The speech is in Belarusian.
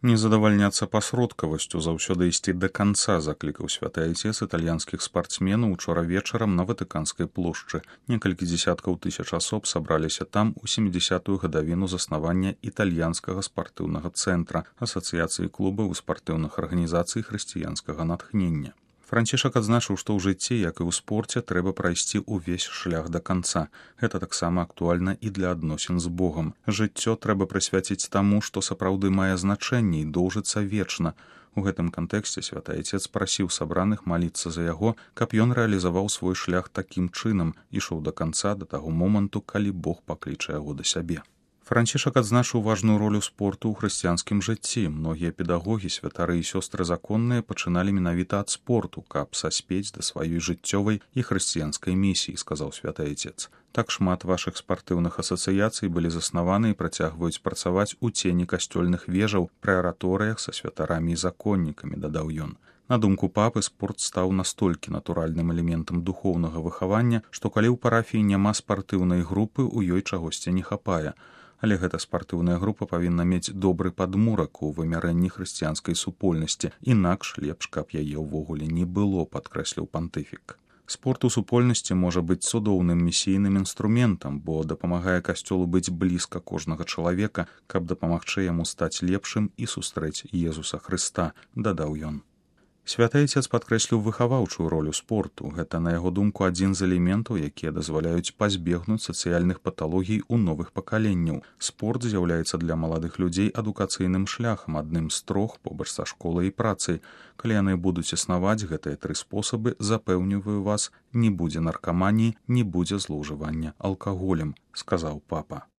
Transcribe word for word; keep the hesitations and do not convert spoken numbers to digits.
Не задавальняцца пасродкавасцю, заўсёды ісці да канца, заклікаў святы айцец італьянскіх спартсменаў учора вечарам на Ватыканскай плошчы. Некалькі дзесяткаў тысяч асоб сабраліся там у сямідзясятую гадавіну заснавання італьянскага спартыўнага цэнтра, асацыяцыі клубаў і спартыўных арганізацый хрысціянскага натхнення. Францішак адзначыў, што ў жыцці, як і ў спорце, трэба прайсці ўвесь шлях да канца. Гэта таксама актуальна і для адносін з Богам. Жыццё трэба прысвяціць таму, што сапраўды мае значэнне і доўжыцца вечна. У гэтым кантэксце святы айцец прасіў сабраных маліцца за яго, каб ён рэалізаваў свой шлях такім чынам, ішоў да канца да таго моманту, калі Бог пакліча яго да сябе. Францішак адзначыў важную ролю спорту ў хрысціянскім жыцці. Многія педагогі, святары і сёстры законныя пачыналі менавіта ад спорту, каб саспець да сваёй жыццёвай і хрысціянскай місіі, сказаў святы айцец. Так шмат вашых спартыўных асацыяцый былі заснаваны і працягваюць працаваць у цені касцёльных вежаў пры араторыях са святарамі і законнікамі, дадаў ён. На думку папы, спорт стаў настолькі натуральным элементам духоўнага выхавання, што калі ў парафіі няма спартыўнай групы, у ёй чагосьці не хапае. Але гэта спартыўная група павінна мець добры падмурак у вымярэнні хрысціянскай супольнасці, інакш лепш, каб яе ўвогуле не было, падкрэсліў пантыфік. Спорт у супольнасці можа быць цудоўным місійным інструментам, бо дапамагае касцёлу быць блізка кожнага чалавека, каб дапамагчы яму стаць лепшым і сустрэць Езуса Хрыста, дадаў ён. Святы айцец падкрэсліў выхаваўчую ролю спорту. Гэта, на яго думку, адзін з элементаў, якія дазваляюць пазбегнуць сацыяльных паталогій у новых пакаленняў. Спорт з'яўляецца для маладых людзей адукацыйным шляхам, адным з трох побач са школай і працай. Калі яны будуць існаваць, гэтыя тры спосабы, запэўніваю вас, не будзе наркаманіі, не будзе злоўжывання алкаголем, сказаў папа.